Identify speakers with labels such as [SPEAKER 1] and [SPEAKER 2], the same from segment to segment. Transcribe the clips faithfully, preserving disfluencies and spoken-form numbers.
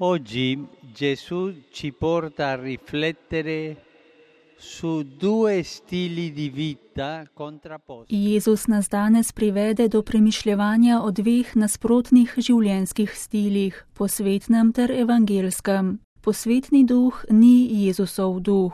[SPEAKER 1] Oggi Gesù ci porta a riflettere su due stili di vita contrapposti.
[SPEAKER 2] Jezus nas danes privede do premišljevanja o dveh nasprotnih življenjskih stilih, posvetnem ter evangelskem. Posvetni duh ni Jezusov duh.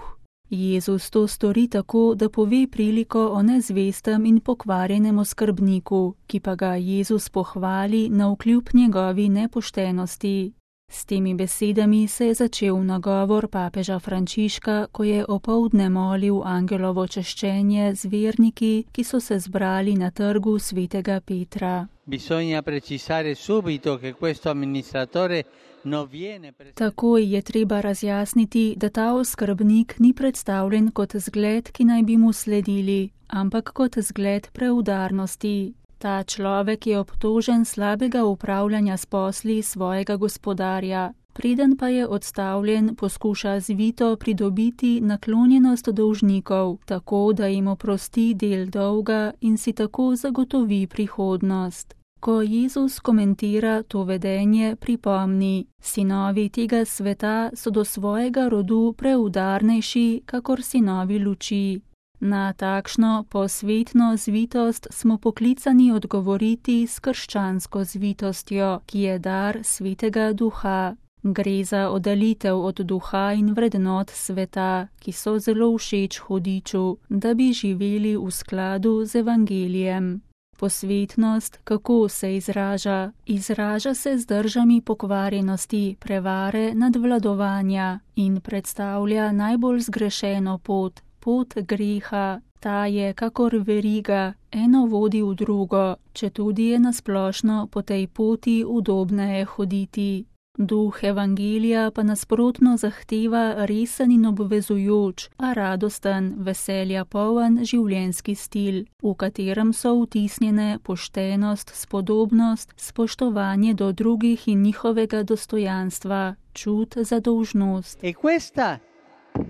[SPEAKER 2] Jezus to stori tako, da pove priliko o nezvestem in pokvarjenem oskrbniku, ki pa ga Jezus pohvali navkljub njegovi nepoštenosti. S temi besedami se je začel nagovor papeža Frančiška, ko je opoldne molil angelovo češčenje z verniki, ki so se zbrali na trgu svetega Petra.
[SPEAKER 1] Bisogna precisare subito che questo amministratore non viene
[SPEAKER 2] Takoj je treba razjasniti, da ta oskrbnik ni predstavljen kot zgled, ki naj bi mu sledili, ampak kot zgled preudarnosti. Ta človek je obtožen slabega upravljanja s posli svojega gospodarja. Preden pa je odstavljen, poskuša zvito pridobiti naklonjenost dolžnikov, tako da jim oprosti del dolga in si tako zagotovi prihodnost. Ko Jezus komentira to vedenje, pripomni: sinovi tega sveta so do svojega rodu preudarnejši, kakor sinovi luči. Na takšno posvetno zvitost smo poklicani odgovoriti s krščansko zvitostjo, ki je dar svetega duha. Gre za oddalitev od duha in vrednot sveta, ki so zelo všeč hudiču, da bi živeli v skladu z evangelijem. Posvetnost, kako se izraža? Izraža se z držami pokvarjenosti, prevare, nadvladovanja in predstavlja najbolj zgrešeno pot, pot greha. Ta je kakor veriga, eno vodi v drugo, četudi je nasplošno po tej poti udobneje hoditi. Duh evangelija pa nasprotno zahteva resen in obvezujoč, a radosten, veselja poln življenjski stil, v katerem so vtisnjene poštenost, spodobnost, spoštovanje do drugih in njihovega dostojanstva, čut za dolžnost.
[SPEAKER 1] E questa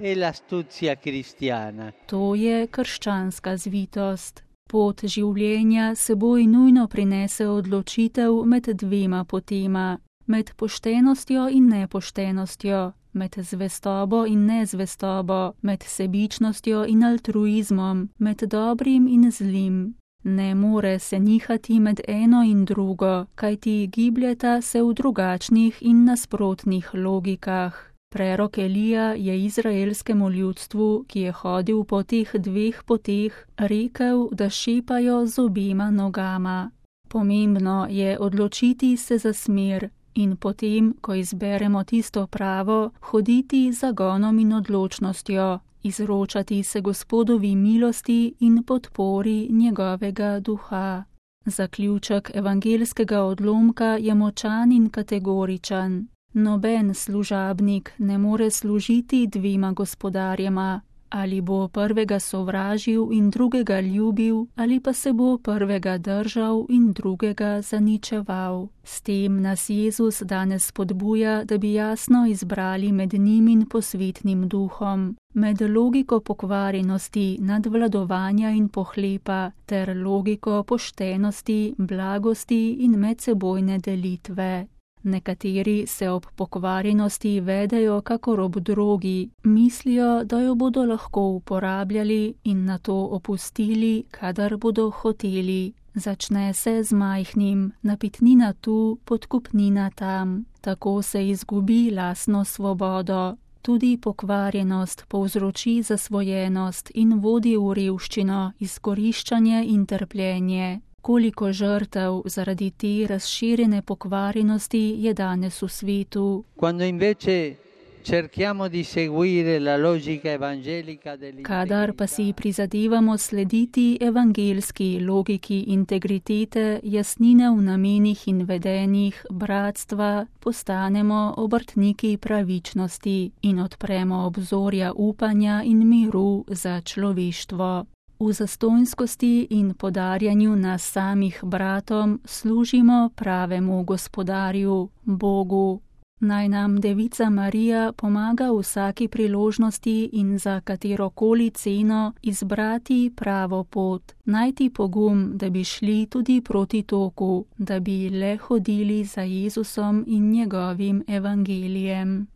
[SPEAKER 1] è l'astuzia cristiana.
[SPEAKER 2] To je krščanska zvitost. Pot življenja seboj nujno prinese odločitev med dvema potema. Med poštenostjo in nepoštenostjo, med zvestobo in nezvestobo, med sebičnostjo in altruizmom, med dobrim in zlim. Ne more se nihati med eno in drugo, kajti gibljeta se v drugačnih in nasprotnih logikah. Prerok Elija je izraelskemu ljudstvu, ki je hodil po teh dveh poteh, rekel, da šepajo z obema nogama. Pomembno je odločiti se za smer, in potem, ko izberemo tisto pravo, hoditi z zagonom in odločnostjo, izročati se Gospodovi milosti in podpori njegovega duha. Zaključek evangelskega odlomka je močan in kategoričen. Noben služabnik ne more služiti dvema gospodarjema. Ali bo prvega sovražil in drugega ljubil, ali pa se bo prvega držal in drugega zaničeval. S tem nas Jezus danes spodbuja, da bi jasno izbrali med njim in posvetnim duhom, med logiko pokvarjenosti, nadvladovanja in pohlepa, ter logiko poštenosti, blagosti in medsebojne delitve. Nekateri se ob pokvarjenosti vedejo kakor ob drogi, mislijo, da jo bodo lahko uporabljali in nato opustili, kadar bodo hoteli. Začne se z majhnim, napitnina tu, podkupnina tam. Tako se izgubi lastno svobodo. Tudi pokvarjenost povzroči zasvojenost in vodi v revščino, izkoriščanje in trpljenje. Koliko žrtev zaradi te razširjene pokvarjenosti je danes v svetu. Kadar pa si prizadevamo slediti evangelski logiki integritete, jasnine v namenih in vedenjih, bratstva, postanemo obrtniki pravičnosti in odpremo obzorja upanja in miru za človeštvo. V zastonjskosti in podarjanju nas samih bratom služimo pravemu gospodarju, Bogu. Naj nam Devica Marija pomaga v vsaki priložnosti in za katerokoli ceno izbrati pravo pot, najti pogum, da bi šli tudi proti toku, da bi le hodili za Jezusom in njegovim evangelijem.